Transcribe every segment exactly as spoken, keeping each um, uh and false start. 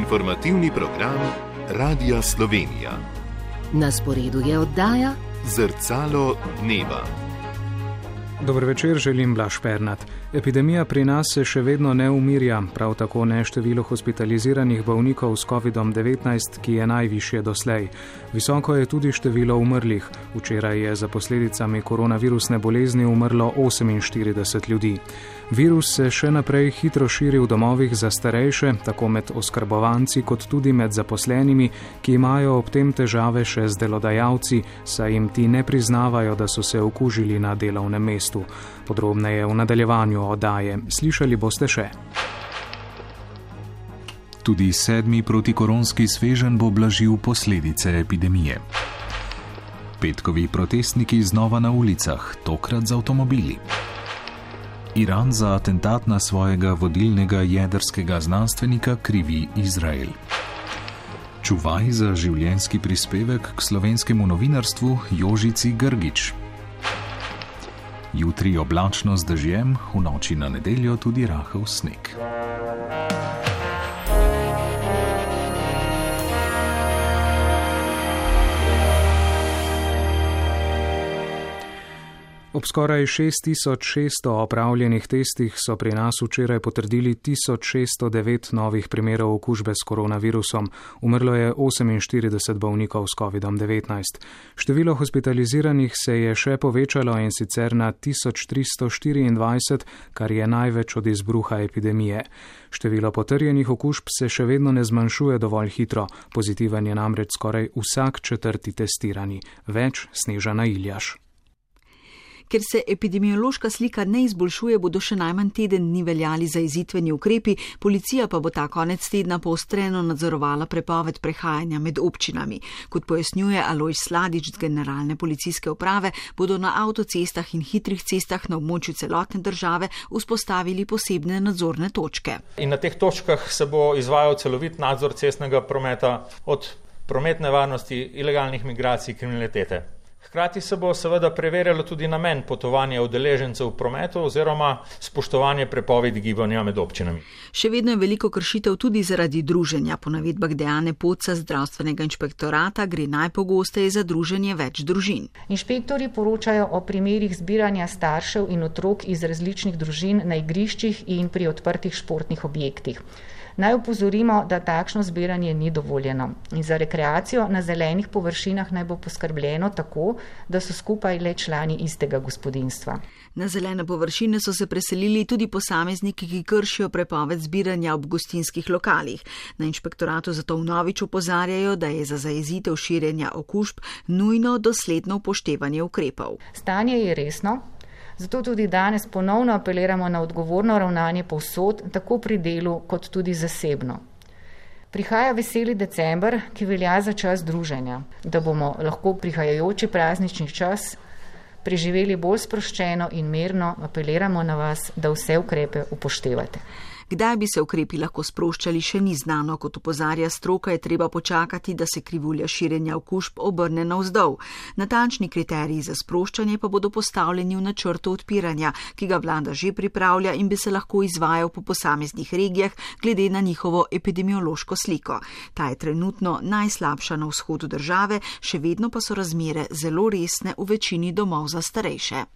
Informativni program Radia Slovenija. Na sporedu je oddaja Zrcalo dneva. Dober večer, želim Blaž Pernat. Epidemija pri nas se še vedno ne umirja, prav tako ne število hospitaliziranih bolnikov s kovidom devetnajst, ki je najvišje doslej. Visoko je tudi število umrlih. Včeraj je za posledicami koronavirusne bolezni umrlo oseminštirideset ljudi. Virus se še naprej hitro širi v domovih za starejše, tako med oskrbovanci kot tudi med zaposlenimi, ki imajo ob tem težave še z delodajalci, saj jim ti ne priznavajo, da so se okužili na delovnem mestu. Podrobneje v nadaljevanju oddaje. Slišali boste še. Tudi sedmi protikoronski sveženj bo blažil posledice epidemije. Petkovi protestniki znova na ulicah, tokrat z avtomobili. Iran za atentat na svojega vodilnega jedrskega znanstvenika krivi Izrael. Čuvaj za življenjski prispevek k slovenskemu novinarstvu Jožici Grgič. Jutri oblačno z dežjem, v noči na nedeljo tudi rahel sneg. Ob skoraj šest tisoč šeststo opravljenih testih so pri nas včeraj potrdili tisoč šeststo devet novih primerov okužbe s koronavirusom. Umrlo je oseminštirideset bolnikov s kovidom devetnajst. Število hospitaliziranih se je še povečalo in sicer na tisoč tristo štiriindvajset, kar je največ od izbruha epidemije. Število potrjenih okužb se še vedno ne zmanjšuje dovolj hitro. Pozitiven je namreč skoraj vsak četrti testirani. Več Snežana Iljaš. Ker se epidemiološka slika ne izboljšuje, bodo še najmanj teden dni veljali zajezitveni ukrepi, policija pa bo ta konec tedna poostreno nadzorovala prepoved prehajanja med občinami. Kot pojasnjuje Alojz Sladič z Generalne policijske uprave, bodo na avtocestah in hitrih cestah na območju celotne države vzpostavili posebne nadzorne točke. In na teh točkah se bo izvajal celovit nadzor cestnega prometa od prometne varnosti, ilegalnih migracij, kriminalitete. Hkrati se bo seveda preverjalo tudi namen potovanja udeležencev v prometu oziroma spoštovanje prepovedi gibanja med občinami. Še vedno je veliko kršitev tudi zaradi druženja. Po navedbah Dejane Poca zdravstvenega inšpektorata gre najpogosteje za druženje več družin. Inšpektorji poročajo o primerih zbiranja staršev in otrok iz različnih družin na igriščih in pri odprtih športnih objektih. Naj opozorimo, da takšno zbiranje ni dovoljeno. In za rekreacijo na zelenih površinah naj bo poskrbljeno tako, da so skupaj le člani istega gospodinjstva. Na zelene površine so se preselili tudi posamezniki, ki kršijo prepoved zbiranja ob gostinskih lokalih. Na inšpektoratu zato vnovič opozarjajo, da je za zajezitev širjenja okužb nujno dosledno upoštevanje ukrepov. Stanje je resno. Zato tudi danes ponovno apeliramo na odgovorno ravnanje povsod, tako pri delu kot tudi zasebno. Prihaja veseli december, ki velja za čas druženja, da bomo lahko prihajajoči praznični čas preživeli bolj sproščeno in mirno, apeliramo na vas, da vse ukrepe upoštevate. Kdaj bi se ukrepi lahko sproščali, še ni znano. Kot opozarja stroka, je treba počakati, da se krivulja širjenja okužb obrne navzdol. Natančni kriteriji za sproščanje pa bodo postavljeni v načrtu odpiranja, ki ga vlada že pripravlja in bi se lahko izvajal po posameznih regijah glede na njihovo epidemiološko sliko. Ta je trenutno najslabša na vzhodu države, še vedno pa so razmere zelo resne v večini domov za starejše.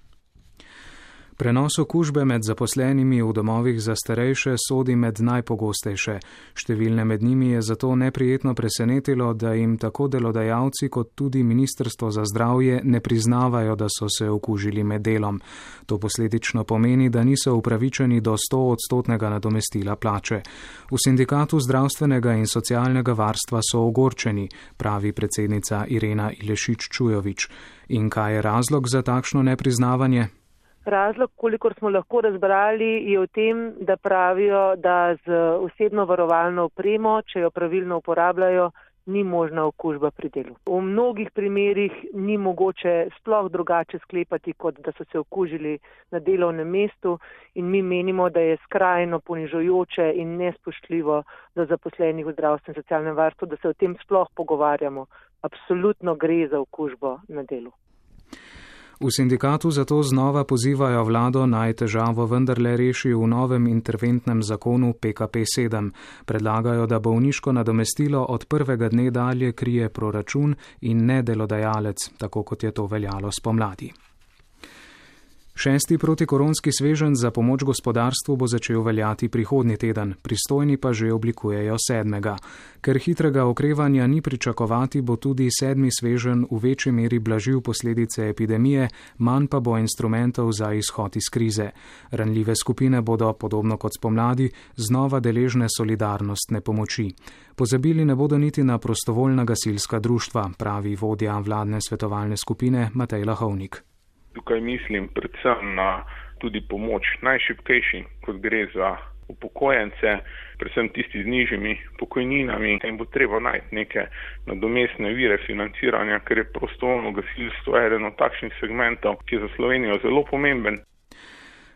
Prenos okužbe med zaposlenimi v domovih za starejše sodi med najpogostejše. Številne med njimi je zato neprijetno presenetilo, da jim tako delodajalci kot tudi Ministrstvo za zdravje ne priznavajo, da so se okužili med delom. To posledično pomeni, da niso upravičeni do sto odstotnega nadomestila plače. V sindikatu zdravstvenega in socialnega varstva so ogorčeni, pravi predsednica Irena Ilešič Čujovič. In kaj je razlog za takšno nepriznavanje? Razlog, kolikor smo lahko razbrali, je v tem, da pravijo, da z osebno varovalno opremo, če jo pravilno uporabljajo, ni možna okužba pri delu. V mnogih primerih ni mogoče sploh drugače sklepati, kot da so se okužili na delovnem mestu in mi menimo, da je skrajno ponižujoče in nespoštljivo do zaposlenih v zdravstvenem in socialnem varstvu, da se o tem sploh pogovarjamo. Absolutno gre za okužbo na delu. V sindikatu zato znova pozivajo vlado naj težavo vendarle reši v novem interventnem zakonu P K P sedem. Predlagajo, da bolniško nadomestilo od prvega dne dalje krije proračun in ne delodajalec, tako kot je to veljalo spomladi. Šesti protikoronski sveženj za pomoč gospodarstvu bo začel veljati prihodnji teden, pristojni pa že oblikujejo sedmega. Ker hitrega okrevanja ni pričakovati, bo tudi sedmi sveženj v večji meri blažil posledice epidemije, manj pa bo instrumentov za izhod iz krize. Ranljive skupine bodo, podobno kot spomladi, znova deležne solidarnostne pomoči. Pozabili ne bodo niti na prostovoljna gasilska društva, pravi vodja vladne svetovalne skupine Matej Lahovnik. Tukaj mislim predvsem na tudi pomoč najšibkejšim, kot gre za upokojence, predvsem tisti z nižjimi pokojninami. In bo treba najti neke nadomestne vire financiranja, ker je prostovoljno gasilstvo eden od takšnih segmentov, ki je za Slovenijo zelo pomemben.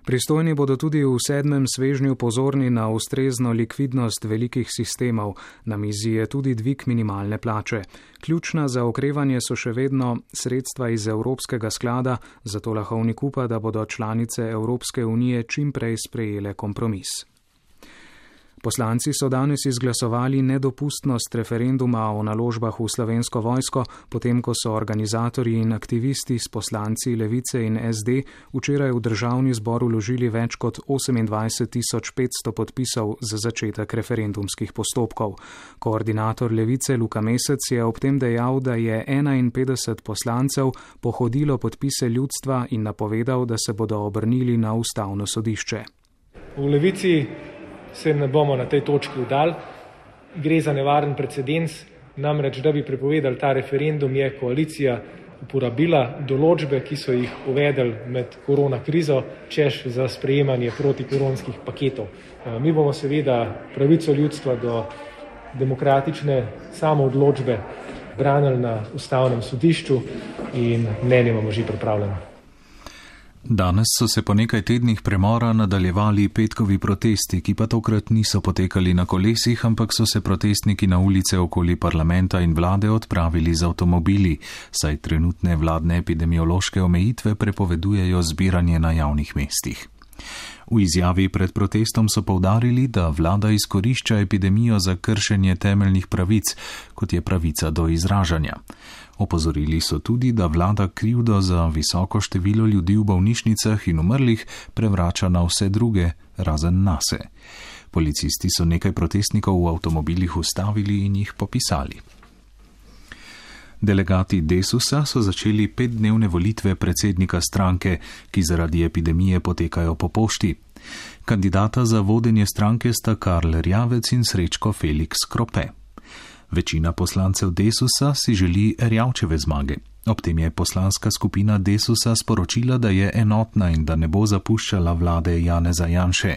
Pristojni bodo tudi v sedmem svežnju pozorni na ustrezno likvidnost velikih sistemov. Na mizi je tudi dvig minimalne plače. Ključna za okrevanje so še vedno sredstva iz Evropskega sklada, zato Lahovnik upa, da bodo članice Evropske unije čim prej sprejele kompromis. Poslanci so danes izglasovali nedopustnost referenduma o naložbah v Slovensko vojsko, potem ko so organizatorji in aktivisti s poslanci Levice in S D včeraj v državni zbor vložili več kot osemindvajset tisoč petsto podpisov za začetek referendumskih postopkov. Koordinator Levice Luka Mesec je ob tem dejal, da je enainpetdeset poslancev pohodilo podpise ljudstva in napovedal, da se bodo obrnili na ustavno sodišče. V Levici se ne bomo na tej točki vdali. Gre za nevaren precedens, namreč da bi prepovedali ta referendum, je koalicija uporabila določbe, ki so jih uvedli med korona krizo, češ za sprejemanje protikoronskih paketov. Mi bomo seveda pravico ljudstva do demokratične samoodločbe branili na ustavnem sodišču in mnenje imamo že pripravljeno. Danes so se po nekaj tednih premora nadaljevali petkovi protesti, ki pa tokrat niso potekali na kolesih, ampak so se protestniki na ulice okoli parlamenta in vlade odpravili z avtomobili, saj trenutne vladne epidemiološke omejitve prepovedujejo zbiranje na javnih mestih. V izjavi pred protestom so poudarili, da vlada izkorišča epidemijo za kršenje temeljnih pravic, kot je pravica do izražanja. Opozorili so tudi, da vlada krivdo za visoko število ljudi v bolnišnicah in umrlih prevrača na vse druge, razen nase. Policisti so nekaj protestnikov v avtomobilih ustavili in jih popisali. Delegati Desusa so začeli petdnevne volitve predsednika stranke, ki zaradi epidemije potekajo po pošti. Kandidata za vodenje stranke sta Karl Erjavec in Srečko Felix Krope. Večina poslancev Desusa si želi Erjavčeve zmage. Ob tem je poslanska skupina Desusa sporočila, da je enotna in da ne bo zapuščala vlade Janeza Janše.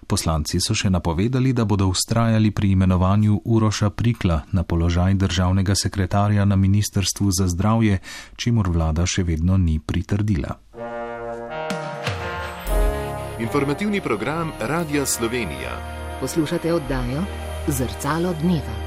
Poslanci so še napovedali, da bodo vztrajali pri imenovanju Uroša Prikla na položaj državnega sekretarja na Ministrstvu za zdravje, čimur vlada še vedno ni pritrdila. Informativni program Radia Slovenija. Poslušate oddajo Zrcalo dneva.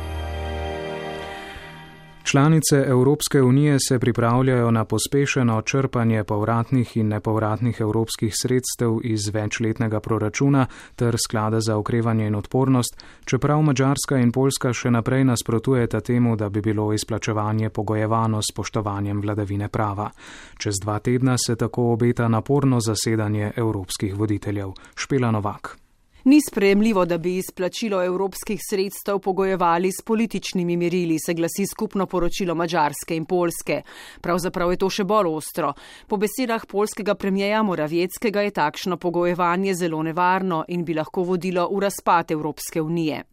Članice Evropske unije se pripravljajo na pospešeno črpanje povratnih in nepovratnih evropskih sredstev iz večletnega proračuna ter sklada za okrevanje in odpornost, čeprav Madžarska in Poljska še naprej nasprotujeta temu, da bi bilo izplačevanje pogojevano s spoštovanjem vladavine prava. Čez dva tedna se tako obeta naporno zasedanje evropskih voditeljev. Špela Novak. Ni sprejemljivo, da bi izplačilo evropskih sredstev pogojevali s političnimi merili, se glasi skupno poročilo Madžarske in Poljske. Pravzaprav je to še bolj ostro. Po besedah poljskega premijeja Moravieckega je takšno pogojevanje zelo nevarno in bi lahko vodilo v razpad Evropske unije.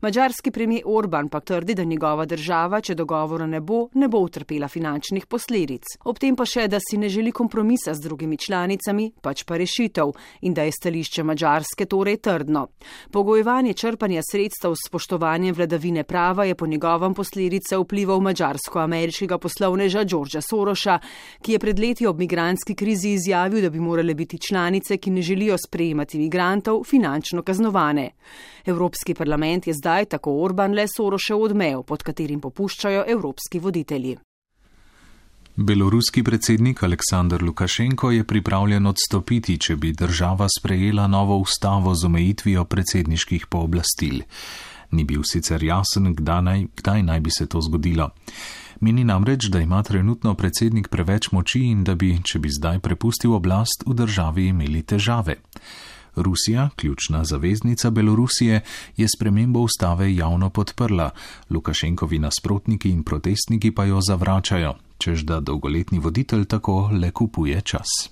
Madžarski premijer Orban pa trdi, da njegova država, če dogovora ne bo, ne bo utrpela finančnih posledic. Ob tem pa še, da si ne želi kompromisa z drugimi članicami, pač pa rešitev in da je stališče Madžarske torej trdno. Pogojevanje črpanja sredstev s spoštovanjem vladavine prava je po njegovem posledice vplival mađarsko-ameriškega poslovneža Georgea Sorosa, ki je pred leti ob migrantski krizi izjavil, da bi morale biti članice, ki ne želijo sprejemati migrantov, finančno kaznovane. Evropski parlament je zdaj, tako Orban, le Sorošev odmev, pod katerim popuščajo evropski voditelji. Beloruski predsednik Aleksandr Lukašenko je pripravljen odstopiti, če bi država sprejela novo ustavo z omejitvijo predsedniških pooblastil. Ni bil sicer jasen, kdaj naj, kdaj naj bi se to zgodilo. Meni namreč, da ima trenutno predsednik preveč moči in da bi, če bi zdaj prepustil oblast, v državi imeli težave. Rusija, ključna zaveznica Belorusije, je spremembo ustave javno podprla, Lukašenkovi nasprotniki in protestniki pa jo zavračajo, čež da dolgoletni voditelj tako le kupuje čas.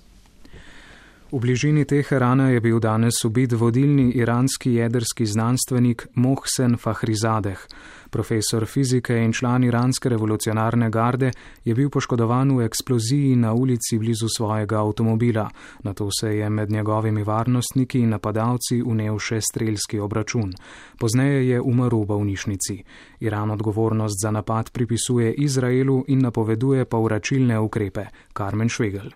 V bližini Teherana je bil danes ubit vodilni iranski jedrski znanstvenik Mohsen Fakhrizadeh. Profesor fizike in član iranske revolucionarne garde je bil poškodovan v eksploziji na ulici blizu svojega avtomobila. Nato se je med njegovimi varnostniki in napadalci vnel še strelski obračun. Pozneje je umrl v bolnišnici. Iran odgovornost za napad pripisuje Izraelu in napoveduje povračilne ukrepe. Karmen Švegel.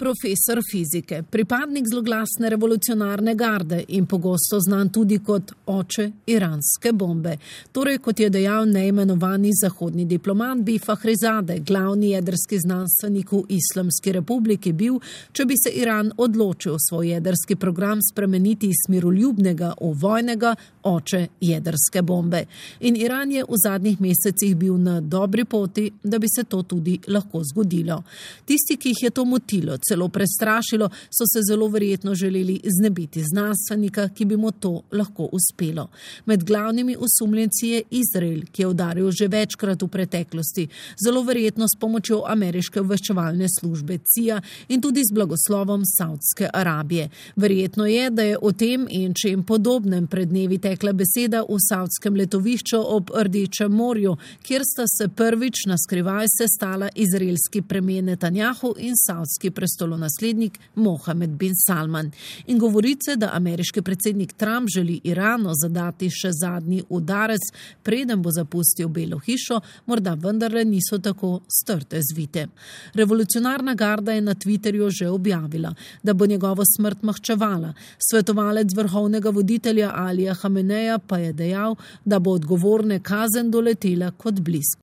Profesor fizike, pripadnik zloglasne revolucionarne garde in pogosto znan tudi kot oče iranske bombe. Torej, kot je dejal neimenovani zahodni diplomat, bi Fakhrizadeh, glavni jedrski znanstvenik v Islamski republiki, bil, če bi se Iran odločil svoj jedrski program spremeniti iz miroljubnega v vojnega, oče jedrske bombe. In Iran je v zadnjih mesecih bil na dobri poti, da bi se to tudi lahko zgodilo. Tisti, ki jih je to motilo, celo prestrašilo, so se zelo verjetno želeli znebiti znanstvenika, ki bi mu to lahko uspelo. Med glavnimi osumljenci je Izrael, ki je udaril že večkrat v preteklosti, zelo verjetno s pomočjo ameriške obveščevalne službe C I A in tudi z blagoslovom Saudske Arabije. Verjetno je, da je o tem in čem podobnem pred dnevi tekla beseda v savdskem letovišču ob Rdečem morju, kjer sta se prvič na skrivaj sestala izraelski premijer Netanjahu in saudski prestolonaslednik Mohamed bin Salman. In govorice, da ameriški predsednik Trump želi Iranu zadati še zadnji udarec, preden bo zapustil Belo hišo, morda vendarle niso tako strte zvite. Revolucionarna garda je na Twitterju že objavila, da bo njegovo smrt mahčevala. Svetovalec vrhovnega voditelja Alija Hameneja pa je dejal, da bo odgovorne kazen doletela kot blisk.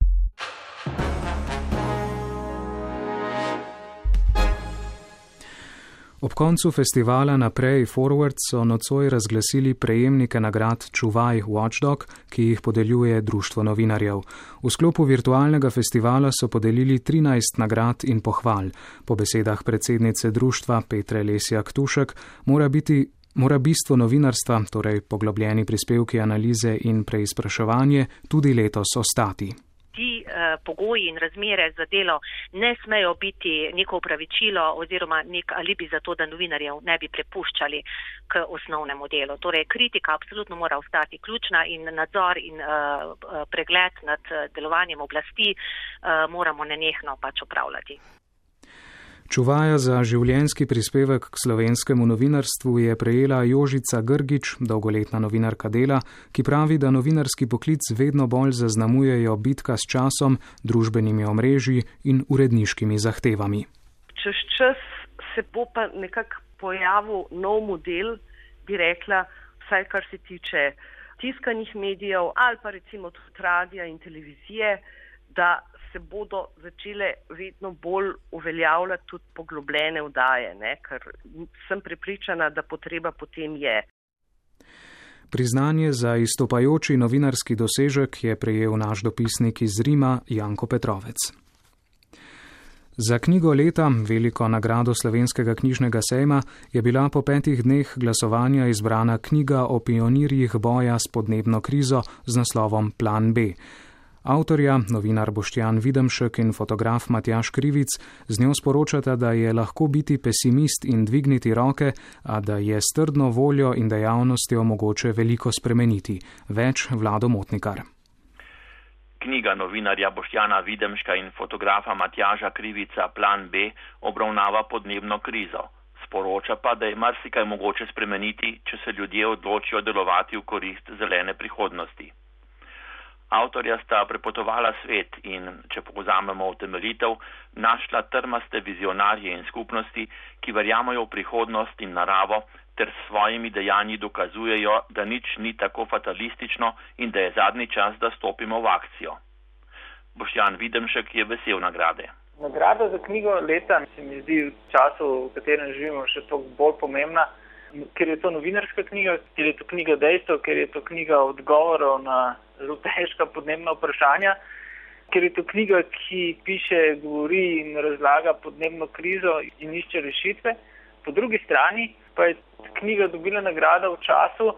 Ob koncu festivala Naprej Forward so nocoj razglasili prejemnike nagrad Čuvaj Watchdog, ki jih podeljuje Društvo novinarjev. V sklopu virtualnega festivala so podelili trinajst nagrad in pohval. Po besedah predsednice društva Petre Lesjak-Tušek mora biti Mora bistvo novinarstva, torej poglobljeni prispevki analize in preizpraševanje, tudi letos ostati. Ti eh, pogoji in razmere za delo ne smejo biti neko upravičilo oziroma nek alibi za to, da novinarjev ne bi prepuščali k osnovnemu delu. Torej, kritika absolutno mora ostati ključna in nadzor in eh, pregled nad delovanjem oblasti eh, moramo nenehno pač opravljati. Čuvaja za življenjski prispevek k slovenskemu novinarstvu je prejela Jožica Grgič, dolgoletna novinarka Dela, ki pravi, da novinarski poklic vedno bolj zaznamujejo bitka s časom, družbenimi omrežji in uredniškimi zahtevami. Čez čas se bo pa nekako pojavil nov model, bi rekla, vsaj kar se tiče tiskanih medijev ali pa recimo tudi radija in televizije, da se bodo začele vedno bolj uveljavljati tudi poglobljene vdaje, ne? Ker sem prepričana, da potreba potem je. Priznanje za izstopajoči novinarski dosežek je prejel naš dopisnik iz Rima Janko Petrovec. Za knjigo leta, veliko nagrado Slovenskega knjižnega sejma, je bila po petih dneh glasovanja izbrana knjiga o pionirjih boja s podnebno krizo z naslovom Plan B. Avtorja, novinar Boštjan Videmšek in fotograf Matjaž Krivic, z njo sporočata, da je lahko biti pesimist in dvigniti roke, a da je s trdno voljo in dejavnostjo mogoče veliko spremeniti. Več Vlado Motnikar. Knjiga novinarja Boštjana Videmška in fotografa Matjaža Krivica Plan B obravnava podnebno krizo. Sporoča pa, da je marsikaj mogoče spremeniti, če se ljudje odločijo delovati v korist zelene prihodnosti. Avtorja sta prepotovala svet in, če povzamemo utemeljitev, našla trmaste vizionarje in skupnosti, ki verjamajo v prihodnost in naravo ter s svojimi dejanji dokazujejo, da nič ni tako fatalistično in da je zadnji čas, da stopimo v akcijo. Boštjan Videmšek je vesel nagrade. Nagrada za knjigo leta se mi zdi v času, v katerem živimo, še toliko bolj pomembna, ker je to novinarska knjiga, ker je to knjiga dejstev, ker je to knjiga odgovorov na zelo težka podnebna vprašanja, ker je to knjiga, ki piše, govori in razlaga podnebno krizo in išče rešitve. Po drugi strani pa je knjiga dobila nagrado v času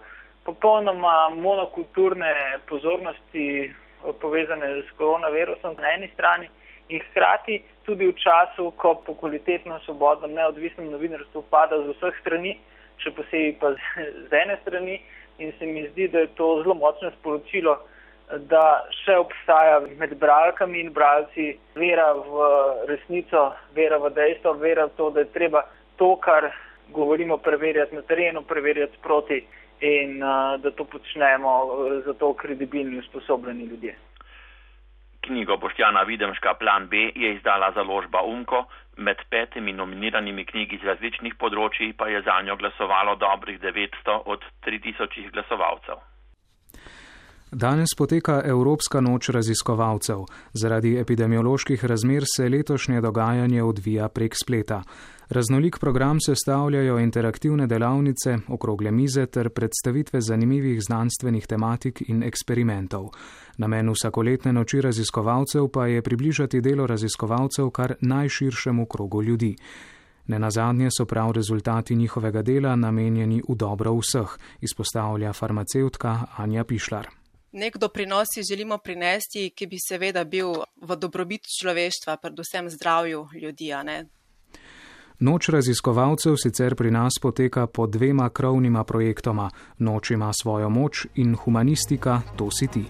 popolnoma monokulturne pozornosti povezane s koronavirusom na eni strani in hkrati tudi v času, ko po kvalitetno, svobodno, neodvisnem novinarstvu pada z vseh strani, še posebej pa z ene strani, in se mi zdi, da je to zelo močno sporočilo, da še obstaja med bralkami in bralci vera v resnico, vera v dejstvo, vera v to, da je treba to, kar govorimo, preverjati na terenu, preverjati sproti in uh, da to počnemo za to kredibilni, usposobljeni ljudje. Knjigo Boštjana Videmška Plan B je izdala založba Umko, med petimi nominiranimi knjigi z različnih področji pa je zanjo glasovalo dobrih devetsto od tri tisoč glasovalcev. Danes poteka Evropska noč raziskovalcev. Zaradi epidemioloških razmer se letošnje dogajanje odvija prek spleta. Raznolik program sestavljajo interaktivne delavnice, okrogle mize ter predstavitve zanimivih znanstvenih tematik in eksperimentov. Namen vsakoletne noči raziskovalcev pa je približati delo raziskovalcev kar najširšemu krogu ljudi. Nenazadnje so prav rezultati njihovega dela namenjeni v dobro vseh, izpostavlja farmacevtka Anja Pišlar. Nek doprinos si želimo prinesti, ki bi seveda bil v dobrobit človeštva, predvsem zdravju ljudi, a ne? Noč raziskovalcev sicer pri nas poteka po dvema krovnima projektoma. Noč ima svojo moč in humanistika, to si ti.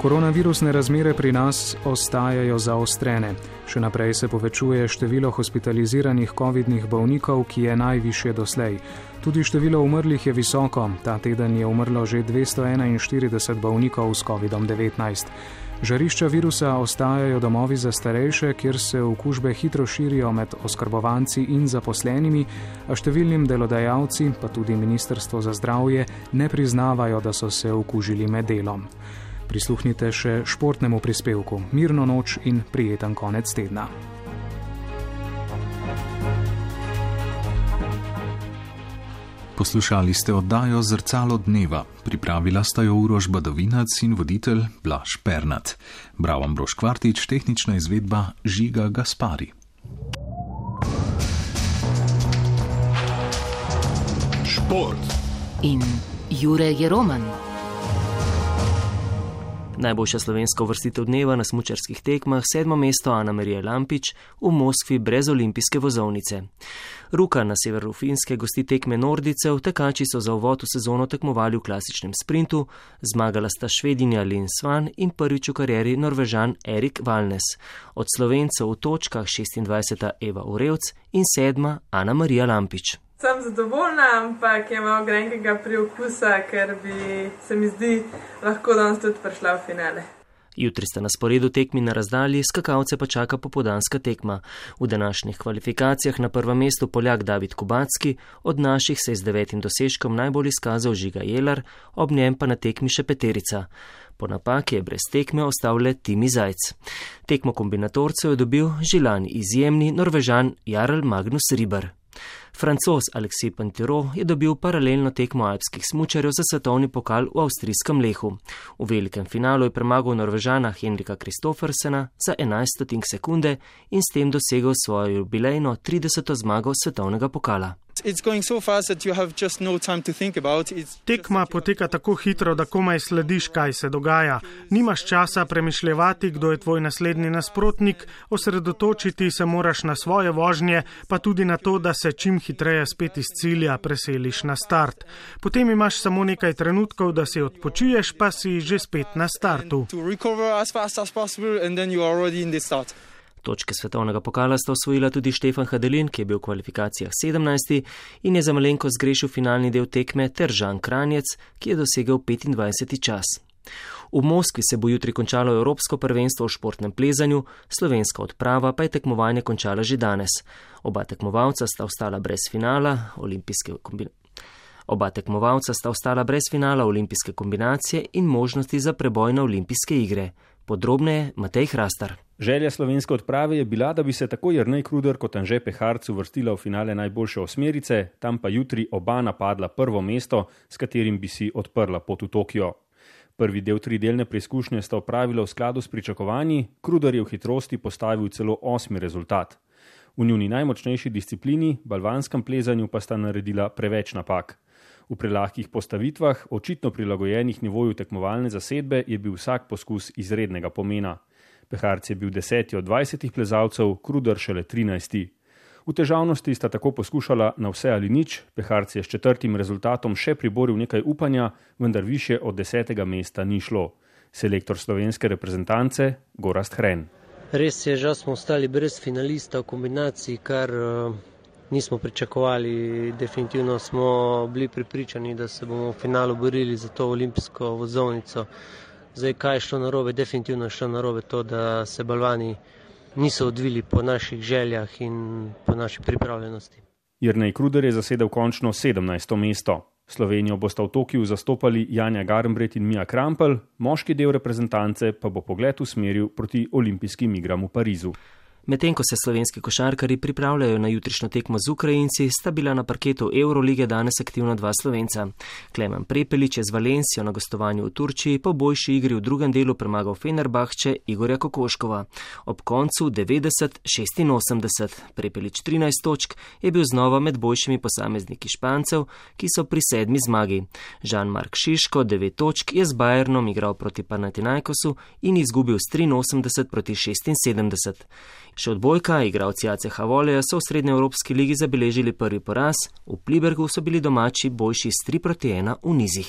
Koronavirusne razmere pri nas ostajajo zaostrene. Še naprej se povečuje število hospitaliziranih covidnih bolnikov, ki je najvišje doslej. Tudi število umrlih je visoko. Ta teden je umrlo že dvesto enainštirideset bolnikov s covidom devetnajst. Žarišča virusa ostajajo domovi za starejše, kjer se okužbe hitro širijo med oskrbovanci in zaposlenimi, a številnim delodajalci, pa tudi Ministrstvo za zdravje, ne priznavajo, da so se okužili med delom. Prisluhnite še športnemu prispevku. Mirno noč in prijeten konec tedna. Poslušali ste oddajo Zrcalo dneva. Pripravila sta jo Uroš Badovinac in voditelj Blaž Pernat. Bral Ambrož Kvartič, tehnična izvedba Žiga Gaspari. Šport in Jure Jeroman. Najboljša slovenska uvrstitev dneva na smučarskih tekmah, sedmo mesto Ana Marija Lampič v Moskvi brez olimpijske vozovnice. Ruka na severu Finske gosti tekme nordijcev, tekači so za uvod v sezono tekmovali v klasičnem sprintu, zmagala sta Švedinja Lin Svan in prvič v karieri Norvežan Erik Valnes. Od Slovencev v točkah šestindvajseta Eva Urevc in sedma Ana Marija Lampič. Sem zadovoljna, ampak je malo grenkega priokusa, ker bi se mi zdi lahko danes tudi prišla v finale. Jutri sta na sporedu tekmi na razdalji, skakalce pa čaka popoldanska tekma. V današnjih kvalifikacijah na prvem mestu Poljak David Kubacki, od naših se je z devetim dosežkom najbolj izkazal Žiga Jelar, ob njem pa na tekmi še peterica. Po napaki je brez tekme ostal le Timi Zajc. Tekmo kombinatorcev je dobil žilan izjemni Norvežan Jarl Magnus Riber. Francoz Alexis Pinturault je dobil paralelno tekmo alpskih smučarjev za svetovni pokal v avstrijskem Lehu. V velikem finalu je premagal Norvežana Henrika Kristoffersena za enajst stotink sekunde in s tem dosegel svojo jubilejno trideseto zmago svetovnega pokala. Tekma poteka tako hitro, da komaj slediš, kaj se dogaja. Nimaš časa premišljevati, kdo je tvoj naslednji nasprotnik, osredotočiti se moraš na svoje vožnje, pa tudi na to, da se čim hitreje spet iz cilja preseliš na start. Potem imaš samo nekaj trenutkov, da si odpočiješ, pa si že spet na startu. Točke svetovnega pokala sta osvojila tudi Štefan Hadelin, ki je bil v kvalifikacijah sedemnajsti in je za malenkost zgrešil finalni del tekme, ter Žan Kranjec, ki je dosegel petindvajseti čas. V Moskvi se bo jutri končalo Evropsko prvenstvo v športnem plezanju, slovenska odprava pa je tekmovanje končala že danes. Oba tekmovalca sta ostala brez finala, olimpijske kombinacije. Oba tekmovalca sta ostala brez finala olimpijske kombinacije in možnosti za preboj na olimpijske igre. Podrobneje Matej Hrastar. Želja slovenske odprave je bila, da bi se tako Jernej Kruder kot Anže Peharc uvrstila v finale najboljše osmerice, tam pa jutri oba napadla prvo mesto, s katerim bi si odprla pot v Tokio. Prvi del tridelne preizkušnje sta opravila v skladu s pričakovanji, Kruder je v hitrosti postavil celo osmi rezultat. V njuni najmočnejši disciplini, balvanskem plezanju, pa sta naredila preveč napak. V prelahkih postavitvah, očitno prilagojenih nivoju tekmovalne zasedbe, je bil vsak poskus izrednega pomena. Peharc je bil deseti od dvajsetih plezalcev, Kruder šele trinajsti. V težavnosti sta tako poskušala na vse ali nič, Peharc je s četrtim rezultatom še priboril nekaj upanja, vendar više od desetega mesta ni šlo. Selektor slovenske reprezentance Gorazd Hren. Res je, žal smo ostali brez finalista v kombinaciji, kar uh, nismo pričakovali. Definitivno smo bili prepričani, da se bomo v finalu borili za to olimpijsko vozovnico. Zdaj, kaj je šlo narobe? Definitivno je šlo narobe to, da se balvani niso odvili po naših željah in po naši pripravljenosti. Jernej Kruder je zasedel končno sedemnajsto mesto. Slovenijo bosta v Tokiu zastopali Janja Garnbret in Mija Krampelj, moški del reprezentance pa bo pogled usmeril proti olimpijskim igram v Parizu. Medtem ko se slovenski košarkarji pripravljajo na jutrišnjo tekmo z Ukrajinci, sta bila na parketu Eurolige danes aktivna dva Slovenca. Klemen Prepelič je z Valencijo na gostovanju v Turčiji po boljši igri v drugem delu premagal Fenerbahče Igorja Kokoškova. Ob koncu devetdeset šestinosemdeset. Prepelič trinajst točk je bil znova med boljšimi posamezniki Špancev, ki so pri sedmi zmagi. Jean-Marc Šiško devet točk je z Bayernom igral proti Panathinaikosu in izgubil s triinosemdeset proti šestinsedemdeset. Še odbojka, igralci A C H Voleja so v srednjeevropski ligi zabeležili prvi poraz, v Plibergu so bili domači boljši s tri proti ena v nizih.